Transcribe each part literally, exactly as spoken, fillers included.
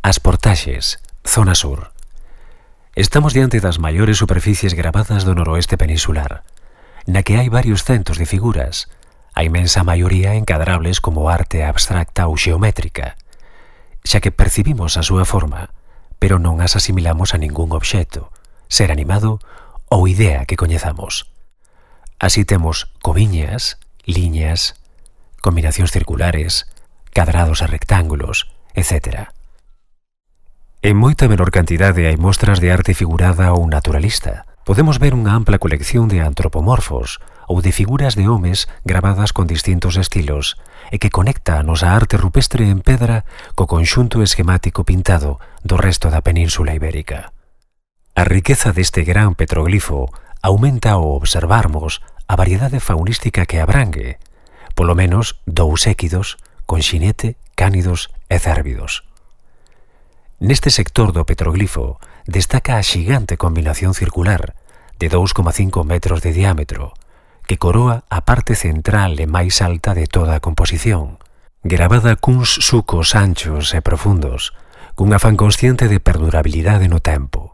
As Portaxes, zona sur. Estamos diante das maiores superficies gravadas do noroeste peninsular, na que hai varios centos de figuras, a imensa maioría encadrables como arte abstracta ou xeométrica, xa que percibimos a súa forma, pero non as asimilamos a ningún obxecto, ser animado ou idea que coñezamos. Así temos coviñas, liñas, combinacións circulares, cadrados e rectángulos, etcétera. En moita menor cantidade hai mostras de arte figurada ou naturalista. Podemos ver unha ampla colección de antropomorfos ou de figuras de homes gravadas con distintos estilos e que conecta a nosa arte rupestre en pedra co conxunto esquemático pintado do resto da Península Ibérica. A riqueza deste gran petroglifo aumenta ao observarmos a variedade faunística que abrangue, polo menos dous équidos, con xinete, cánidos e cérvidos. Neste sector do petroglifo destaca a xigante combinación circular de dous coma cinco metros de diámetro que coroa a parte central e máis alta de toda a composición, gravada cuns sucos anchos e profundos, cun afán consciente de perdurabilidade no tempo.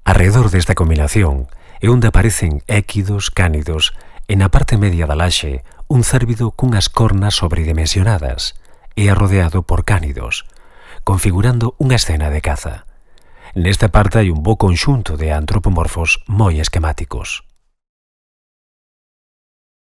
Arredor desta combinación é onde aparecen équidos, cánidos e na parte media da laxe un cérvido cunhas cornas sobredimensionadas e arrodeado por cánidos, configurando unha escena de caza. Nesta parte hai un bo conxunto de antropomorfos moi esquemáticos.